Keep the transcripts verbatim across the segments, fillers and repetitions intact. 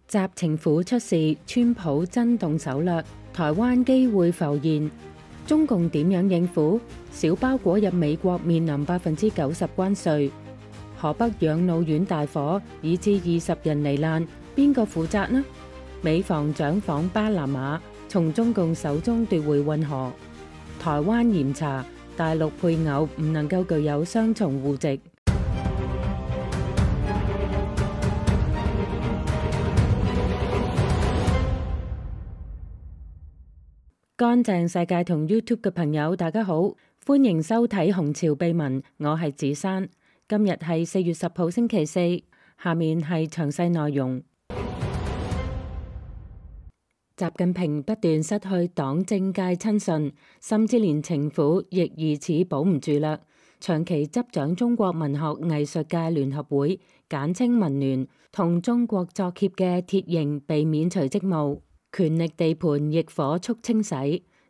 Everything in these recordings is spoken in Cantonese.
習情婦出事，川普真動手略，台灣機會浮現。中共點樣應付？小包裹入美國面臨百分之九十關稅。河北養老院大火，以致二十人罹難，邊個負責呢？美防長訪巴拿馬，從中共手中奪回運河。台灣嚴查，大陸配偶唔能夠具有雙重戶籍。乾淨世界同 YouTube 嘅朋友，大家好，歡迎收睇《紅潮秘聞》，我係子珊。今日係四月十號星期四，下面係詳細內容。習近平不斷失去黨政界親信，甚至連情婦亦疑似保唔住啦。長期執掌中國文學藝術界聯合會簡稱文聯同中國作協嘅鐵營被免除職務。權力地盤亦火速清洗，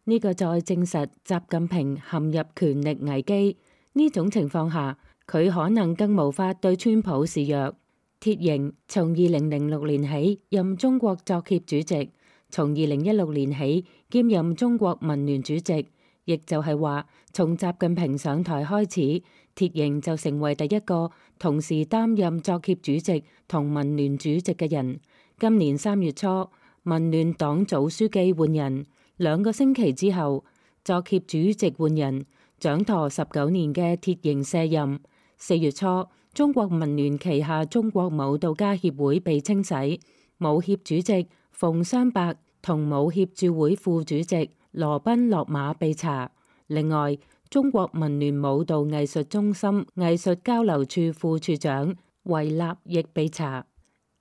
呢、這個再證實習近平陷入權力危機。呢種情況下，佢可能更無法對川普示弱。鐵營從二零零六年起任中國作協主席，從二零一六年起兼任中國文聯主席，亦就係話，從習近平上台開始，鐵營就成為第一個同時擔任作協主席同文聯主席嘅人。今年三月初，文聯黨組書記換人，兩個星期之後，作協主席換人，掌舵十九年嘅鐵營卸任。四月初，中國文聯旗下中國舞蹈家協會被清洗，舞協主席馮雙伯同舞協駐會副主席羅賓落馬被查。另外，中國文聯舞蹈藝術中心藝術交流處副處長維納亦被查。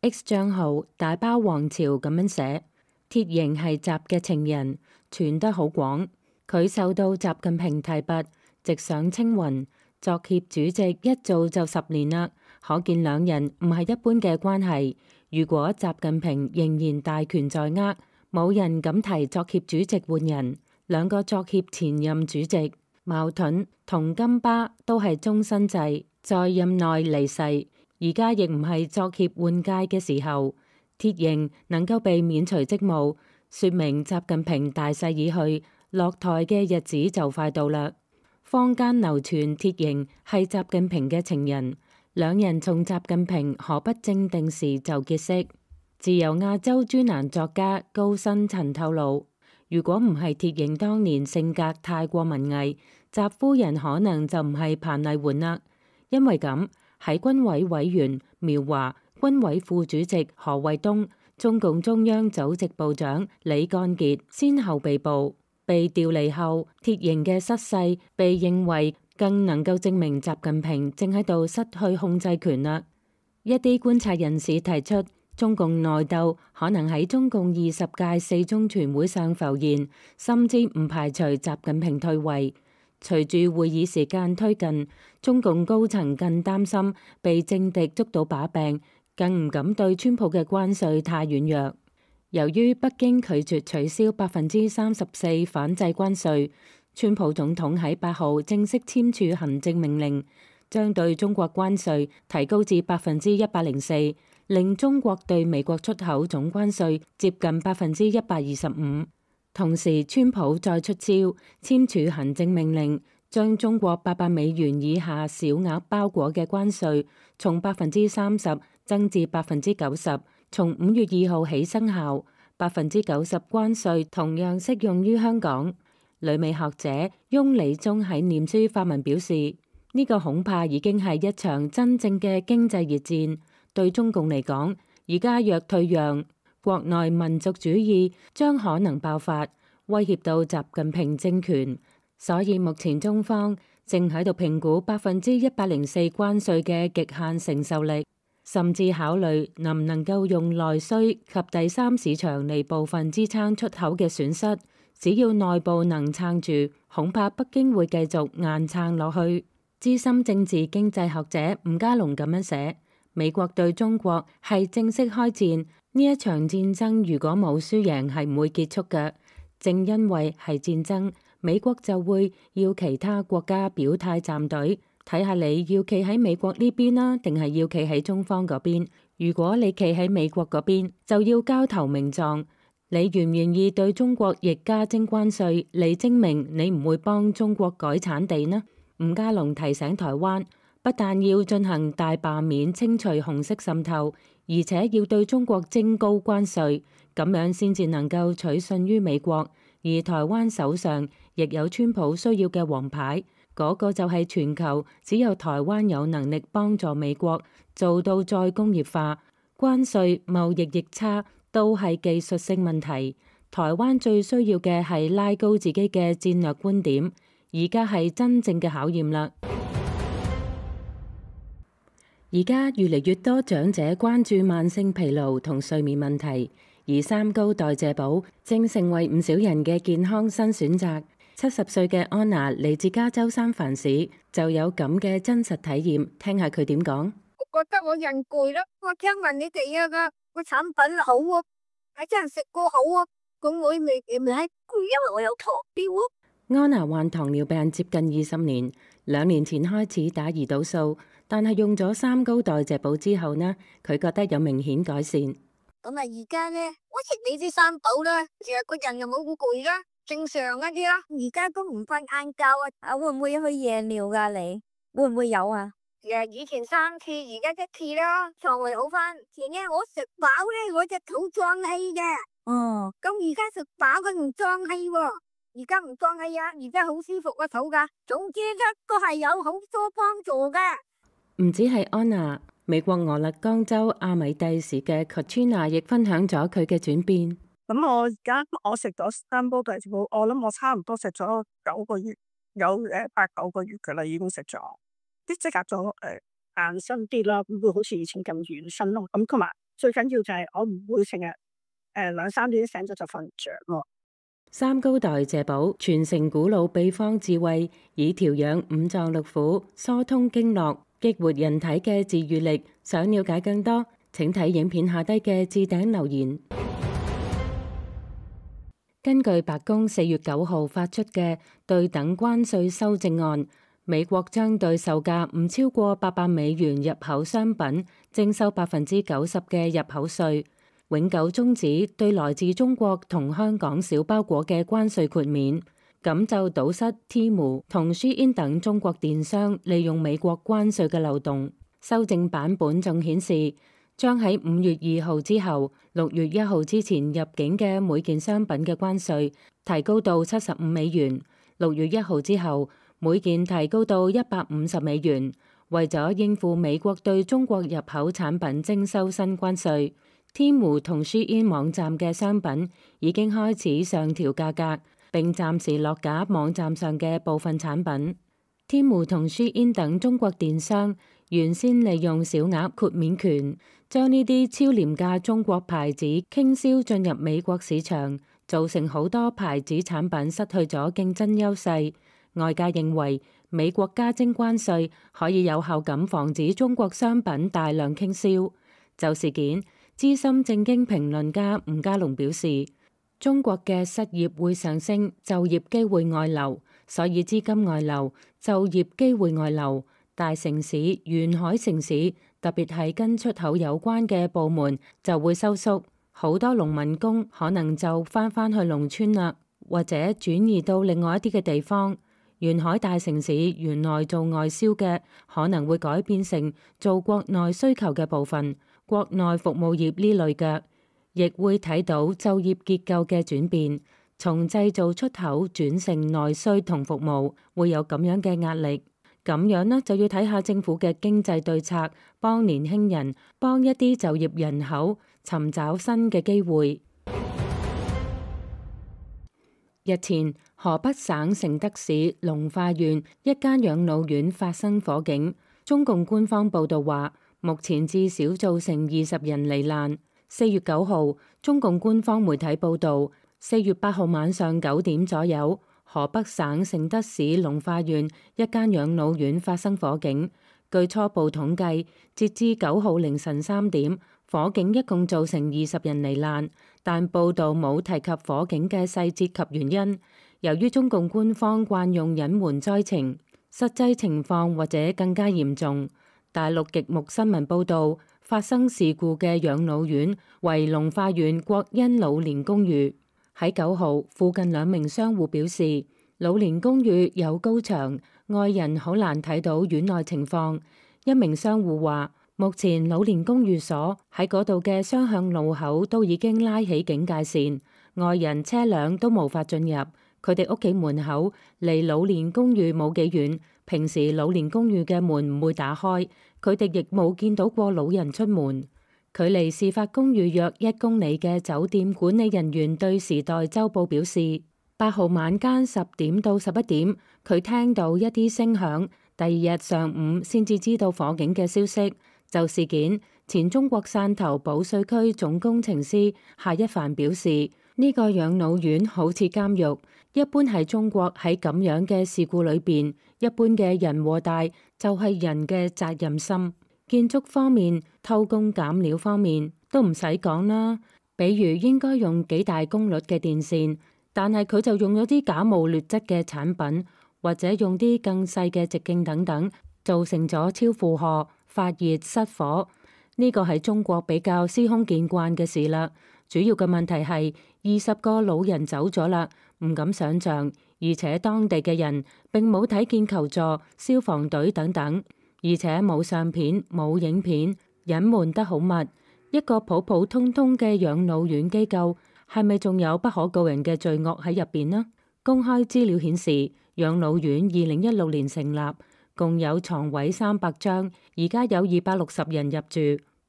X 賬號大包王朝咁樣寫，鐵營係習嘅情人，傳得好廣。佢受到習近平提拔，直上青雲。作協主席一做就十年啦，可見兩人唔係一般嘅關係。如果習近平仍然大權在握，冇人敢提作協主席換人。兩個作協前任主席茅盾同金巴都係終身制，在任內離世。而家亦唔係作協換屆嘅時候，鐵營能夠被免除職務，說明習近平大勢已去，落台嘅日子就快到啦。坊間流傳鐵營係習近平嘅情人，兩人從習近平河北正定時就結識。自由亞洲專欄作家高新陳透露，如果唔係鐵營當年性格太過文藝，習夫人可能就唔係彭麗媛啦。因為咁，喺軍委委員苗華、軍委副主席何衛東、中共中央組織部長李幹傑先後被捕。被調離後，鐵營嘅失勢被認為更能夠證明習近平正喺度失去控制權啦。一啲觀察人士提出，中共內鬥可能喺中共二十屆四中全會上浮現，甚至唔排除習近平退位。隨住會議時間推近，中共高層更擔心被政敵捉到把柄，更唔敢對川普嘅關稅太軟弱。由於北京拒絕取消百分之三十四反制關稅，川普總統喺八號正式簽署行政命令，將對中國關稅提高至百分之一百零四，令中國對美國出口總關稅接近百分之一百二十五。同時，川普再出招，簽署行政命令，將中國八百美元以下小額包裹嘅關稅從百分之三十增至百分之九十，從五月二號起生效。百分之九十關稅同樣適用於香港。旅美學者翁理忠喺臉書發文表示，呢、這個恐怕已經係一場真正嘅經濟熱戰。對中共嚟講，而家若退讓，國內民族主義將可能爆發，威脅到習近平政權。所以目前中方正喺度評估百分之一百零四關稅嘅極限承受力，甚至考慮能唔能夠用內需及第三市場嚟部分支撐出口嘅損失。只要內部能撐住，恐怕北京會繼續硬撐落去。資深政治經濟學者吳家龍咁樣寫：美國對中國係正式開戰，呢一場戰爭如果冇輸贏係唔會結束嘅。正因為係戰爭，美國就會要其他國家表態站隊，睇下你要企喺美國呢邊啦，定係要企喺中方嗰邊。如果你企喺美國嗰邊，就要交投名狀，你願唔願意對中國亦加徵關稅嚟證明你唔會幫中國改產地呢？伍家龍提醒台灣，不但要進行大罷免清除紅色滲透，而且要對中國徵高關稅，咁樣先至能夠取信於美國。而台灣手上亦有川普需要嘅王牌，嗰個就係全球只有台灣有能力幫助美國做到再工業化。關稅、貿易逆差都係技術性問題，台灣最需要嘅係拉高自己嘅戰略觀點，而家係真正嘅考驗啦。而家越嚟越多長者關注慢性疲勞同睡眠問題，而三高代謝寶正成為唔少人嘅健康新選擇。七十歲嘅安娜嚟自加州三藩市，就有咁嘅真實體驗，聽下佢點講。我覺得我人攰啦，我聽聞你哋啊個個產品好啊，係真係食過好啊，咁我未未係攰，因為我有糖尿啊。安娜患糖尿病接近二十年，兩年前開始打胰島素，但係用咗三高代謝寶之後呢，佢覺得有明顯改善。咁啊，而家咧，我食你啲三寶啦，成日個人又冇咁攰啦，正常一啲啦。而家都唔瞓晏覺啊，啊會唔會去夜尿噶？你會唔會有啊？誒，以前三次，而家一次啦，腸胃好翻。前日我食飽咧，我隻肚脹氣嘅。哦，咁而家食飽佢唔脹氣喎，而家唔脹氣啊，而家好舒服個肚噶。總之咧，都係有好多幫助嘅。唔止係安娜，美國俄勒岡州阿米蒂市嘅 Katrina 亦分享咗佢嘅轉變。咁我而家我食咗三煲代謝寶，我諗我差唔多食咗九個月，有誒八九個月噶啦，已經食咗，啲即刻咗誒硬身啲啦，唔會好似以前咁軟身咯。咁同埋最緊要就係我唔會成日誒兩三點醒咗就瞓唔着咯。三高代謝寶傳承古老秘方智慧，以調養五臟六腑、疏通經絡、激活人體嘅自愈力。想了解更多，請睇影片下低嘅置頂留言。根據白宮四月九號發出嘅對等關稅修正案，美國將對售價唔超過八百美元入口商品徵收百分之九十嘅入口稅，永久終止對來自中國同香港小包裹嘅關稅豁免，咁就堵塞 Temu 同 Shein 等中國電商利用美國關稅嘅漏洞。修正版本仲顯示，將喺五月二號之後六月一號之前入境嘅每件商品嘅關稅提高到七十五美元，六月一號之後每件提高到一百五十美元。為咗應付美國對中國入口產品徵收新關稅，Temu 同 Shein 網站嘅商品已經開始上調價格，並暫時落架網站上嘅部分產品。Temu 同 Shein 等中國電商原先利用小額豁免權，將呢啲超廉價中國牌子傾銷進入美國市場，造成好多牌子產品失去咗競爭優勢。外界認為美國加徵關稅可以有效咁防止中國商品大量傾銷。就事件，資深政經評論家伍家龍表示，中國嘅失業會上升，就業機會外流，所以資金外流，就業機會外流，大城市、沿海城市，特別係跟出口有關嘅部門就會收縮，好多農民工可能就翻返去農村啦，或者轉移到另外一啲嘅地方。沿海大城市原來做外銷嘅，可能會改變成做國內需求嘅部分，國內服務業呢類嘅，亦會睇到就業結構嘅轉變，從製造出口轉成內需同服務，會有咁樣嘅壓力。咁樣呢，就要睇下政府嘅經濟對策，幫年輕人，幫一啲就業人口尋找新嘅機會。日前，河北省承德市隆化縣一間養老院發生火警，中共官方報道話，目前至少造成二十人罹難。四月九號，中共官方媒體報道，四月八號晚上九點左右，河北省承德市隆化縣一間養老院發生火警。據初步統計，截至九號凌晨三點，火警一共造成二十人罹難，但報道冇提及火警嘅細節及原因。由於中共官方慣用隱瞞災情，實際情況或者更加嚴重。大陸極目新聞報道，發生事故嘅養老院為龍化縣國恩老年公寓。喺九號，附近兩名商戶表示，老年公寓有高牆，外人好難睇到院內情況。一名商戶話，目前老年公寓所喺嗰度嘅雙向路口都已經拉起警戒線，外人車輛都無法進入。佢哋屋企門口離老年公寓冇幾遠，平時老年公寓嘅門唔會打開，佢哋亦冇見到過老人出門。距離事發公寓約一公里嘅酒店管理人員對時代週報表示，八號晚間十點到十一點，佢聽到一啲聲響，第二日上午先至知道火警嘅消息。就事件，前中國汕頭保稅區總工程師夏一帆表示，呢個養老院好似監獄。一般喺中國喺咁樣嘅事故裏邊，一般嘅人禍大就係人嘅責任心。建築方面、偷工減料方面都唔使講啦。比如應該用幾大功率嘅電線，但係佢就用咗啲假冒劣質嘅產品，或者用啲更細嘅直徑等等，造成咗超負荷、發熱、失火。呢個係中國比較司空見慣嘅事啦。主要嘅問題係二十個老人走咗啦，唔敢想象，而且當地嘅人並冇睇見求助消防隊等等，而且冇相片冇影片，隱瞞得好密。一個普普通通嘅養老院機構，係咪仲有不可告人嘅罪惡喺入邊呢？公開資料顯示，養老院二零一六年成立，共有床位三百張，而家有二百六十人入住。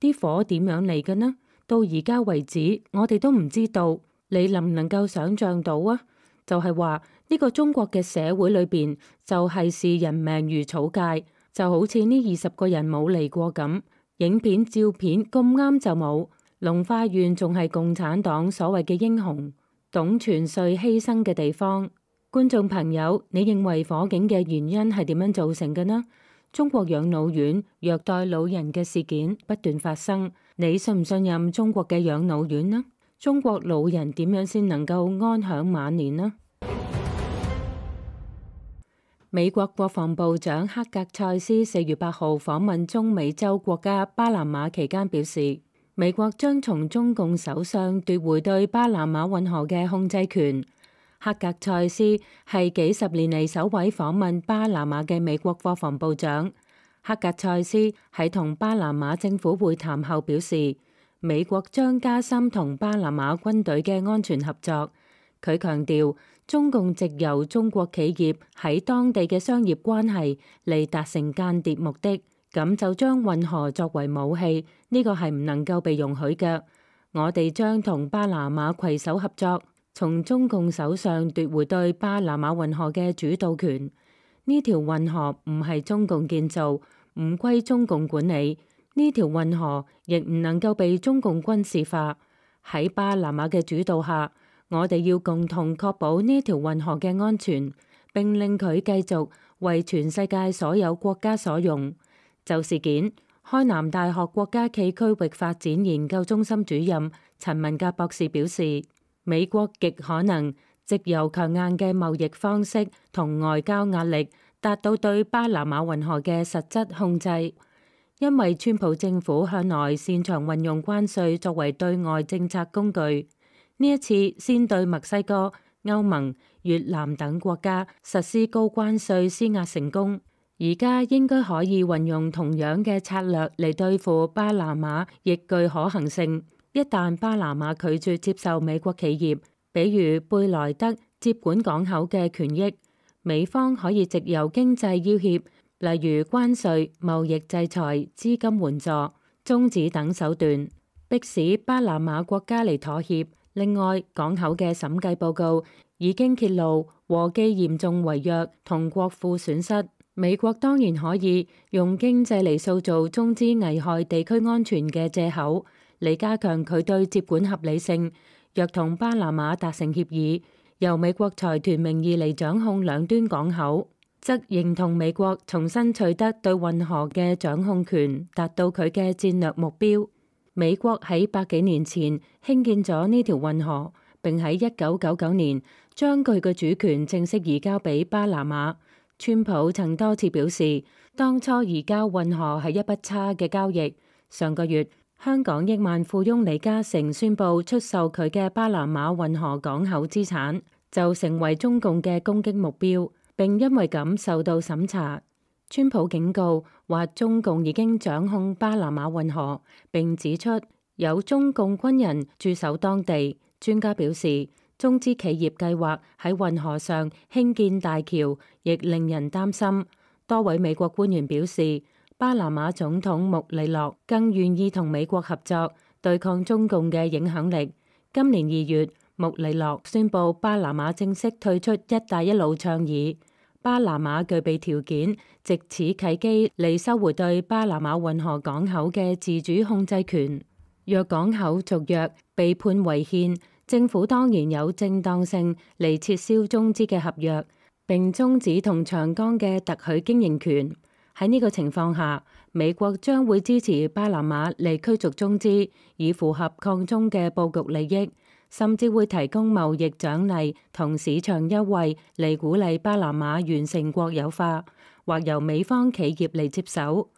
啲火點樣嚟嘅呢？到而家為止，我哋都唔知道。你能唔能夠想象到啊？就係話呢個中國嘅社會裏邊，就係視人命如草芥，就好似呢二十個人冇嚟過咁。影片照片咁啱就冇。龍化縣仲係共產黨所謂嘅英雄，董存瑞犧牲嘅地方。觀眾朋友，你認為火警嘅原因係點樣造成嘅呢？中國養老院虐待老人嘅事件不斷發生，你信唔信任中國嘅養老院呢？中國老人點樣先能夠安享晚年呢？美國國防部長克格塞斯四月八號訪問中美洲國家巴拿馬期間表示，美國將從中共手上奪回對巴拿馬運河嘅控制權。克格塞斯係幾十年嚟首位訪問巴拿馬嘅美國國防部長。克格塞斯喺同巴拿馬政府會談後表示，美國將加深同巴拿馬軍隊嘅安全合作。佢強調，中共藉由中國企業喺當地嘅商業關係嚟達成間諜目的，咁就將運河作為武器，呢個係唔能夠被容許嘅。我哋將同巴拿馬攜手合作，從中共手上奪回對巴拿馬運河嘅主導權。呢條運河唔係中共建造，唔歸中共管理。呢條運河亦唔能夠被中共軍事化。喺巴拿馬嘅主導下，我哋要共同確保呢條運河嘅安全，並令佢繼續為全世界所有國家所用。就事件，開南大學國家暨區域發展研究中心主任陳文格博士表示，美國極可能藉由強硬嘅貿易方式同外交壓力，達到對巴拿馬運河嘅實質控制。因為川普政府向來擅長運用關稅作為對外政策工具，呢一次先對墨西哥、歐盟、越南等國家實施高關稅施壓成功，而家應該可以運用同樣嘅策略嚟對付巴拿馬，亦具可行性。一旦巴拿馬拒絕接受美國企業，比如貝萊德接管港口嘅權益，美方可以藉由經濟要挾，例如關稅、貿易制裁、資金援助、中止等手段，迫使巴拿馬國家嚟妥協。另外，港口嘅審計報告已經揭露禍基嚴重違約同國庫損失。美國當然可以用經濟嚟塑造中資危害地區安全嘅藉口，嚟加強佢對接管合理性。若同巴拿馬達成協議，由美國財團名義嚟掌控兩端港口，則認同美國重新取得對運河嘅掌控權，達到佢嘅戰略目標。美國喺百幾年前興建咗呢條運河，並喺一九九九年將佢嘅主權正式移交俾巴拿馬。川普曾多次表示，當初移交運河係一筆差嘅交易。上個月，香港億萬富翁李嘉誠宣布出售佢嘅巴拿馬運河港口資產，就成為中共嘅攻擊目標，並因為咁受到審查。川普警告話中共已經掌控巴拿馬運河，並指出有中共軍人駐守當地。專家表示，中資企業計劃喺運河上興建大橋，亦令人擔心。多位美國官員表示，巴拿馬總統穆里諾更願意同美國合作，對抗中共嘅影響力。今年二月，穆里諾宣布巴拿馬正式退出一帶一路倡議。巴拿馬具備條件，藉此契機嚟收回對巴拿馬運河港口嘅自主控制權。若港口續約被判違憲，政府當然有正當性嚟撤銷中資嘅合約，並終止同長江嘅特許經營權。喺呢個情況下，美國將會支持巴拿馬嚟驅逐中資，以符合抗中嘅佈局利益，甚至會提供貿易獎勵同市場優惠嚟鼓勵巴拿馬完成國有化，或由美方企業嚟接手。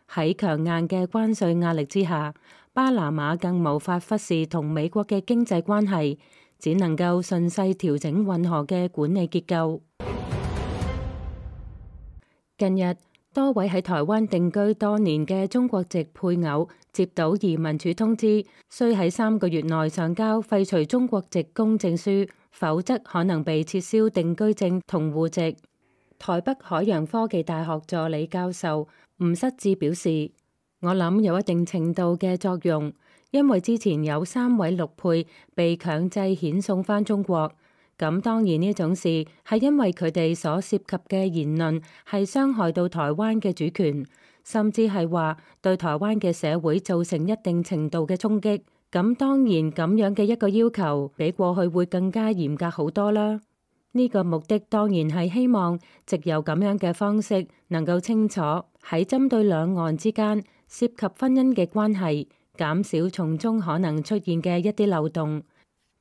喺強硬嘅關稅壓力之下，巴拿馬更無法忽視同美國嘅經濟關係，只能夠順勢調整運河嘅管理結構。近日，多位喺台灣定居多年嘅中國籍配偶接到移民署通知，需喺三個月內上交廢除中國籍公證書，否則可能被撤銷定居證同戶籍。台北海洋科技大學助理教授吳失志表示，我諗有一定程度嘅作用，因為之前有三位陸配被強制遣送返中國。咁當然呢種事係因為佢哋所涉及嘅言論係傷害到台灣嘅主權，甚至係話對台灣嘅社會造成一定程度嘅衝擊。咁當然咁樣嘅一個要求比過去會更加嚴格好多啦。呢個目的當然係希望藉由咁樣嘅方式能夠清楚喺針對兩岸之間涉及婚姻嘅關係，減少從中可能出現嘅一啲漏洞。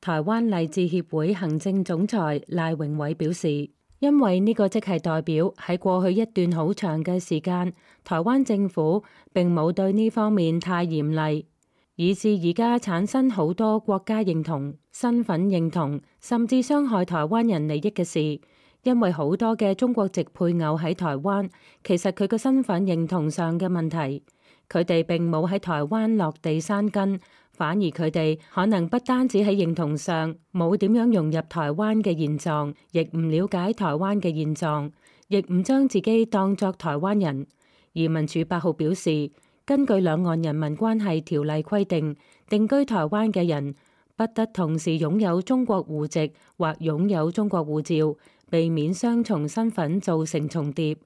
台灣勵志協會行政總裁賴榮偉表示，因為呢個即係代表喺過去一段好長嘅時間，台灣政府並冇對呢方面太嚴厲，以致而家產生好多國家認同、身份認同，甚至傷害台灣人利益嘅事。因為好多嘅中國籍配偶喺台灣，其實佢個身份認同上嘅問題，佢哋並冇喺台灣落地生根。反而佢哋可能不單止喺認同上冇點樣融入台灣嘅現狀，亦唔了解台灣嘅現狀，亦唔將自己當作台灣人。移民署八號表示，根據兩岸人民關係條例規定，定居台灣嘅人不得同時擁有中國戶籍或擁有中國護照，避免雙重身份造成重疊。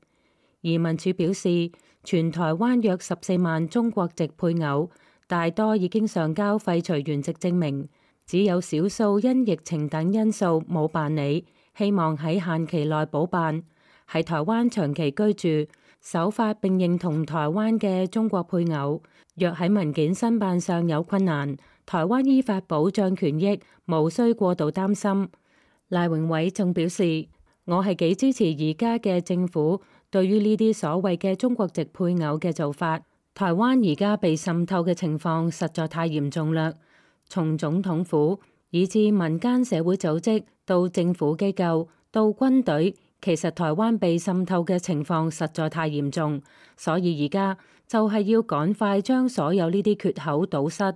移民署表示，全台灣約十四萬中國籍配偶，大多已經上交廢除原籍證明，只有少數因疫情等因素冇辦理，希望喺限期內補辦。喺台灣長期居住、守法並認同台灣嘅中國配偶，若喺文件申辦上有困難，台灣依法保障權益，無需過度擔心。賴榮偉仲表示，我係幾支持而家嘅政府對於呢啲所謂嘅中國籍配偶嘅做法。台灣而家被滲透嘅情況實在太嚴重啦，從總統府以至民間社會組織到政府機構到軍隊，其實台灣被滲透嘅情況實在太嚴重，所以而家就係要趕快將所有呢啲缺口堵塞。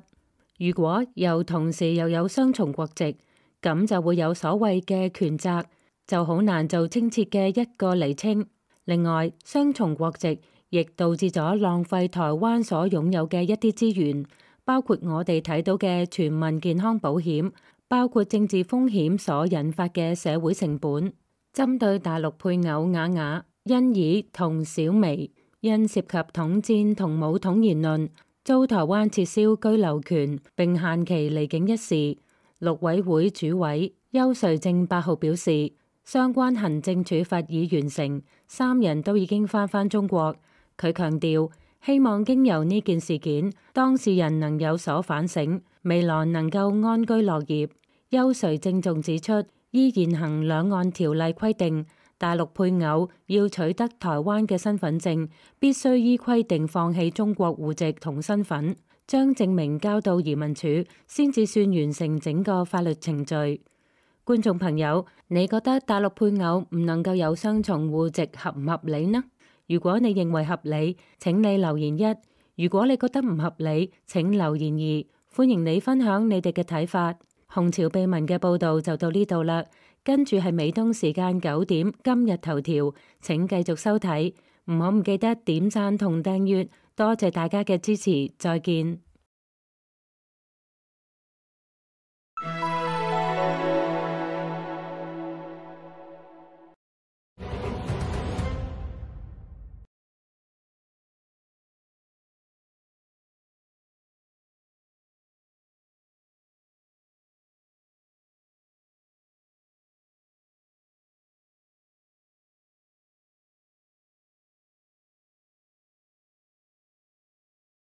如果又同時又有雙重國籍，咁就會有所謂嘅權責，就好難做清澈嘅一個釐清。另外，雙重國籍亦導致咗浪費台灣所擁有嘅一啲資源，包括我哋睇到嘅全民健康保險，包括政治風險所引發嘅社會成本。針對大陸配偶雅雅、欣怡同小薇因涉及統戰同武統言論，遭台灣撤銷居留權並限期離境一事，陸委會主委邱瑞正八號表示，相關行政處罰已完成，三人都已經返返中國。佢強調，希望經由呢件事件，當事人能有所反省，未來能夠安居樂業。邱瑞正仲指出，依現行兩岸條例規定，大陸配偶要取得台灣嘅身份證，必須依規定放棄中國戶籍同身份，將證明交到移民署，先至算完成整個法律程序。觀眾朋友，你覺得大陸配偶唔能夠有雙重戶籍合唔合理呢？如果你認為合理，請你留言一；如果你覺得唔合理，請留言二。歡迎你分享你哋嘅睇法。紅潮秘聞嘅報道就到呢度啦，跟住係美東時間九點今日頭條，請繼續收睇，唔好唔記得點讚同訂閱，多謝大家嘅支持，再見。